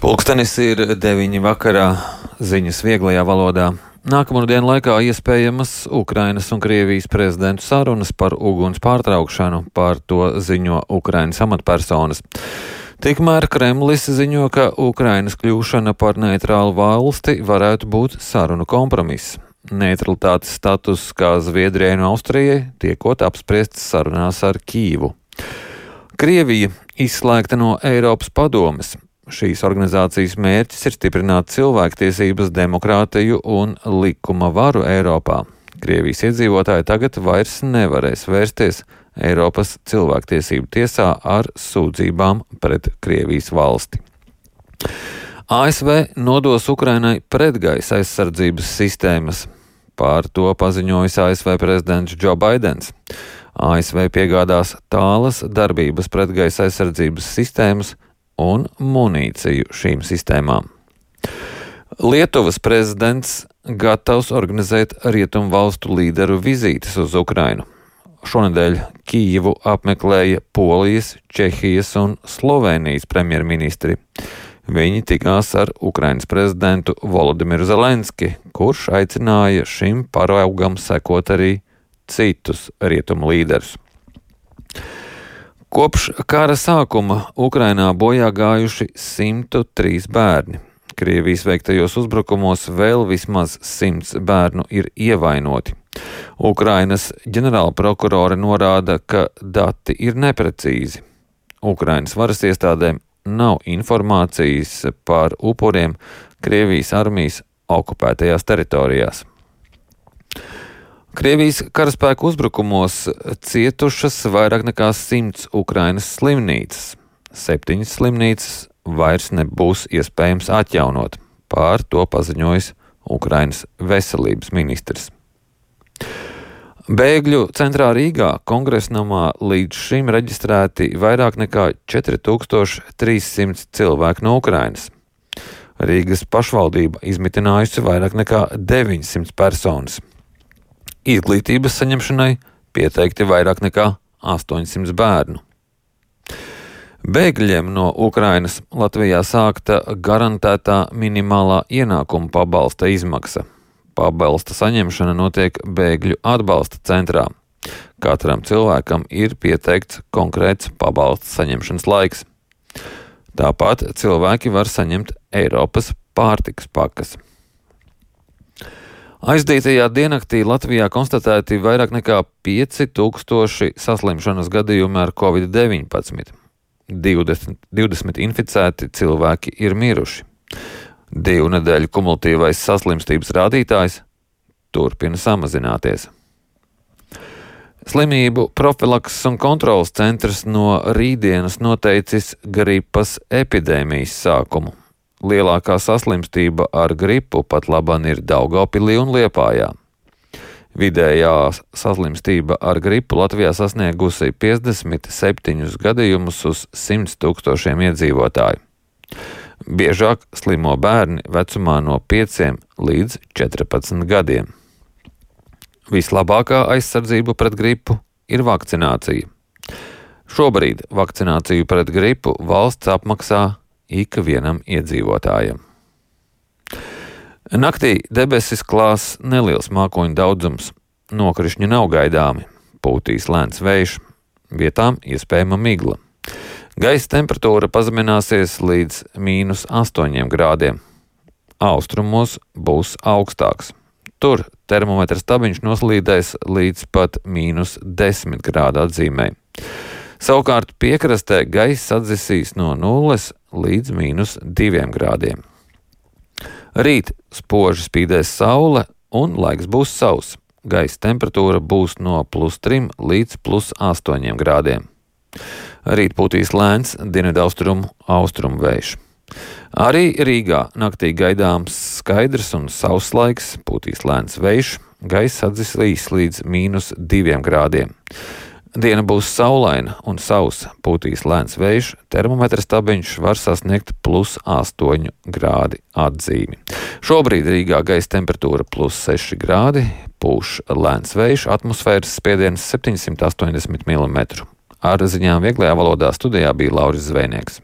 Pulkstenis ir 9 vakarā, ziņas vieglajā valodā. Nākamo dienu laikā iespējamas Ukrainas un Krievijas prezidentu sarunas par uguns pārtraukšanu, par to ziņo Ukrainas amatpersonas. Tikmēr Kremlis ziņo, ka Ukrainas kļūšana par neitrālu valsti varētu būt sarunu kompromiss. Neutralitātes status kā Zviedrijai un Austrijai tiekot apspriests sarunās ar Kīvu. Krievija izslēgta no Eiropas padomes. Šīs organizācijas mērķis ir stiprināt cilvēktiesības, demokrātiju un likuma varu Eiropā. Krievijas iedzīvotāji tagad vairs nevarēs vērsties Eiropas cilvēktiesību tiesā ar sūdzībām pret Krievijas valsti. ASV nodos Ukrainai pretgaisa aizsardzības sistēmas. Par to paziņojis ASV prezidents Joe Baidens. ASV piegādās tālas darbības pretgaisa aizsardzības sistēmas un munīciju šīm sistēmām. Lietuvas prezidents gatavs organizēt rietumu valstu līderu vizītes uz Ukrainu. Šonedēļ Kijivu apmeklēja Polijas, Čehijas un Slovēnijas premjerministri. Viņi tikās ar Ukrainas prezidentu Volodimiru Zelenski, kurš aicināja šim paraugam sekot arī citus rietumu līderus. Kopš kara sākuma Ukrainā bojā gājuši 103 bērni. Krievijas veiktajos uzbrukumos vēl vismaz 100 bērnu ir ievainoti. Ukrainas ģenerālprokurore norāda, ka dati ir neprecīzi. Ukrainas varas iestādēm nav informācijas par upuriem Krievijas armijas okupētajās teritorijās. Krievijas karaspēku uzbrukumos cietušas vairāk nekā 100 Ukrainas slimnīcas. 7 slimnīcas vairs nebūs iespējams atjaunot. Par to paziņojis Ukrainas veselības ministrs. Bēgļu centrā Rīgā Kongresnamā līdz šim reģistrēti vairāk nekā 4300 cilvēku no Ukrainas. Rīgas pašvaldība izmitinājusi vairāk nekā 900 personas. Izglītības saņemšanai pieteikti vairāk nekā 800 bērnu. Bēgļiem no Ukrainas Latvijā sākta garantētā minimālā ienākuma pabalsta izmaksa. Pabalsta saņemšana notiek bēgļu atbalsta centrā. Katram cilvēkam ir pieteikts konkrēts pabalsta saņemšanas laiks. Tāpat cilvēki var saņemt Eiropas pārtikas pakas. Aizdītajā diennaktī Latvijā konstatēti vairāk nekā 5000 saslimšanas gadījumi ar Covid-19. 20 inficēti cilvēki ir miruši. 2 nedēļu kumulatīvais saslimstības rādītājs turpina samazināties. Slimību profilakses un kontrolas centrs no rītdienas noteicis gripas epidēmijas sākumu. Lielākā saslimstība ar gripu pat laban ir Daugavpilī un Liepājā. Vidējā saslimstība ar gripu Latvijā sasniegusi 57 gadījumus uz 100 000 iedzīvotāju. Biežāk slimo bērni vecumā no 5 līdz 14 gadiem. Vislabākā aizsardzība pret gripu ir vakcinācija. Šobrīd vakcināciju pret gripu valsts apmaksā ikvienam iedzīvotājam. Naktī debesis klās neliels mākoņu daudzums. Nokrišņi nav gaidāmi. Pūtīs lēns vējš. Vietām iespējama migla. Gaisa temperatūra pazemināsies līdz -8 grādiem. Austrumos būs augstāks. Tur termometra stabiņš noslīdēs līdz pat -10 grādu atzīmē. Savukārt piekrastē gaiss atdzisīs no 0 līdz -2 grādiem. Rīt spoži spīdēs saule un laiks būs sauss. Gaisa temperatūra būs no +3 līdz +8 grādiem. Rīt pūtīs lēns dienvidaustrumu vējš. Arī Rīgā naktī gaidāms skaidrs un sauss laiks, pūtīs lēns vējš, gaiss atdzisīs līdz -2 grādiem. Diena būs saulaina un sausa, pūtīs lēns vējš, termometra stabiņš var sasniegt +8 grādi atzīmi. Šobrīd Rīgā gaisa temperatūra +6 grādi, pūš lēns vējš, atmosfēras spiediens 780 mm. Ar ziņām vieglajā valodā studijā bija Lauris Zvejnieks.